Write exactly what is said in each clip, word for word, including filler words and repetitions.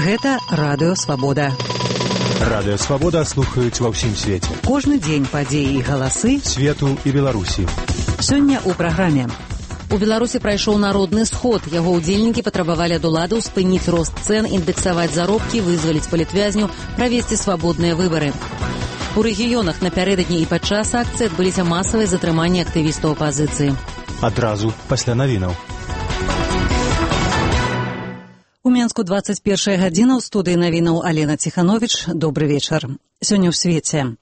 Гэта Радыё Свабода. Радыё Свабода слухаюць ва ўсім свеце. Кожны дзень падзеі і галасы свету і Беларусі. Сёння ў праграме. У Беларусі прайшоў народны сход. Яго ўдзельнікі патрабавалі ад уладаў спыніць рост цэн, індэксаваць заробкі, вызваліць палітвязню, правесці свабодныя выбары. У рэгіёнах напярэдадні і падчас акцыі адбыліся масавыя затрыманні актывістаў апазіцыі. Адразу пасля навінаў. У Менску двадцать першая гадзіна, ў студыі навінаў Алена Ціхановіч. Добры вечар. Сёння ў свеце.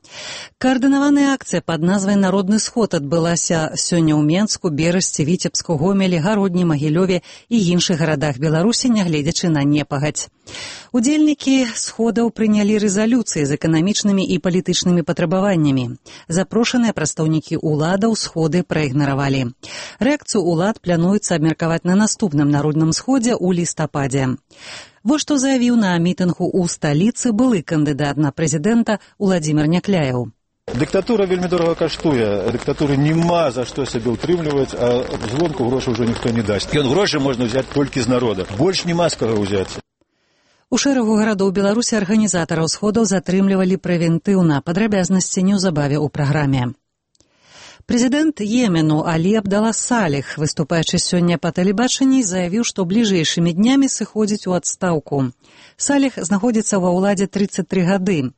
Каардынаваная акцыя пад назвай «Народны сход» адбылася сёння ў Менску, Берасці, Віцебску, Гомелі, Гародні, Магілёве і іншых гарадах Беларусі, нягледзячы на непагадзь. Удзельнікі сходаў прынялі рэзалюцыі з эканамічнымі і палітычнымі патрабаваннямі. Запрошаныя прадстаўнікі ўладаў сходы праігнаравалі. Рэакцыю ўлад плануецца абмеркаваць на наступным народным сходзе ў лістападзе. Вось што заявіў на мітынгу ў сталіцы былы кандыдат на прэзідэнта Уладзімір Някляеў. Дыктатура вельмі дорага каштуе. Дыктатуры няма за што сябе ўтрымліваць, а звонку грошы ўжо ніхто не дасць. Ён грошы можна ўзяць толькі з народа. Больш няма з каго ўзяць. У шэрагу гарадоў Беларусі арганізатараў сходаў затрымлівалі прэвентыўна. Падрабязнасці неўзабаве ў праграме. Прэзідэнт Йемену Алі Абдала Саліх, выступаючы сёння па тэлебачанні, заявіў, што бліжэйшымі днямі сыходзіць у адстаўку. Саліх знаходзіцца ва ўладзе трыццаць тры гады.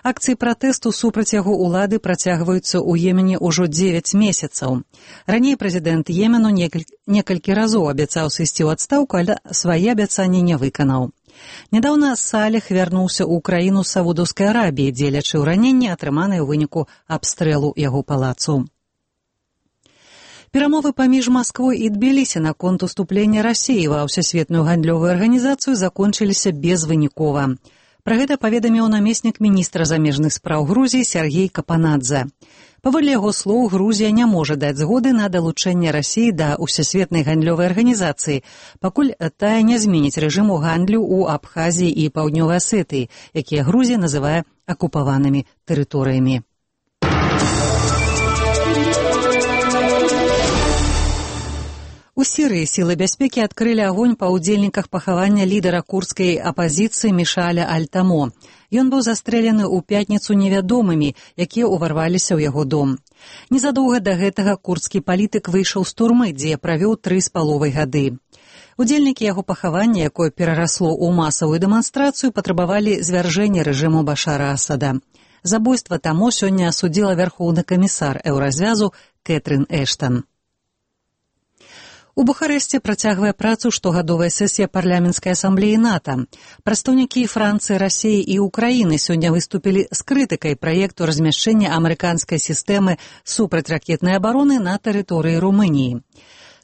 Акцыі пратэсту супраць яго ўлады працягваюцца ў Йемене ўжо дзевяць месяцаў. Раней прэзідэнт Йемену некалькі разоў абяцаў сысці ў адстаўку, але свае абяцанні не выканаў. Нядаўна Саліх вярнуўся ў краіну Саудаўскай Арабіі, дзелячы ў раненні, атрыманыя ў выніку абстрэлу яго палацу. Перамовы паміж Масквой і Тбілісі наконт уступлення Расіі ва ўсесветную гандлёвую арганізацыю закончыліся безвынікова. Пра гэта паведаміў намеснік міністра замежных спраў Грузіі Сергей Капанадзе. Паводле яго слоў, Грузія не можа даць згоды на далучэнне Расіі да ўсесветнай гандлёвай арганізацыі, пакуль тая не зменіць рэжыму гандлю ў Абхазіі і Паўднёвай Асетыі, якія Грузія называе акупаванымі тэрыторыямі. У Сірыі сілы бяспекі адкрылі агонь па ўдзельніках пахавання лідара курдскай апазіцыі Мішаля Аль-Тамо. Ён быў застрэлены ў пятніцу невядомымі, якія ўварваліся ў яго дом. Незадоўга да гэтага курдскі палітык выйшаў з турмы, дзе правёў тры з паловай гады. Удзельнікі яго пахавання, якое перарасло ў масавую дэманстрацыю, патрабавалі звяржэння рэжыму Башара Асада. Забойства Тамо сёння асудзіла вярхоўны камісар еўразвязу Кэтрын Эштан. У Бухарэсце працягвае працу штогадовая сесія парламенцкай асамблеі НАТО. Прадстаўнікі Францыі, Расіі і Украіны сёння выступілі з крытыкай праекту размяшчэння амерыканскай сістэмы супрацьракетнай абароны на тэрыторыі Румыніі.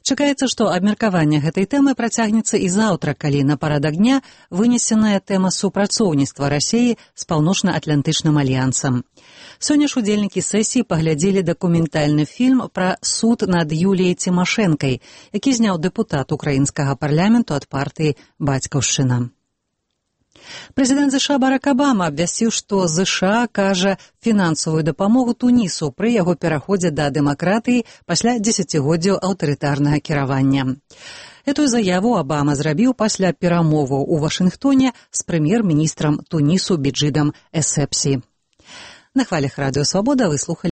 Чакаецца, што абмеркаванне гэтай тэмы працягнецца і заўтра, калі на парадак дня вынесеная тэма супрацоўніцтва Расіі з паўночна-атлантычным альянсам. Сёння ж удзельнікі сесіі паглядзелі дакументальны фільм пра суд над Юліяй Цімашэнкай, які зняў дэпутат украінскага парламенту ад партыі «Бацькаўшчына». Прэзідэнт ЗША Барак Абама абвясціў, што ЗША акажа фінансавую дапамогу Тунісу пры яго пераходзе да дэмакратыі пасля дзесяцігоддзяў аўтарытарнага кіравання. Эту заяву Абама зрабіў пасля перамоваў у Вашынгтоне з прэм'ер-міністрам Тунісу Беджидам Эссепсі. На хвалях Радыё Свабода вы слухалі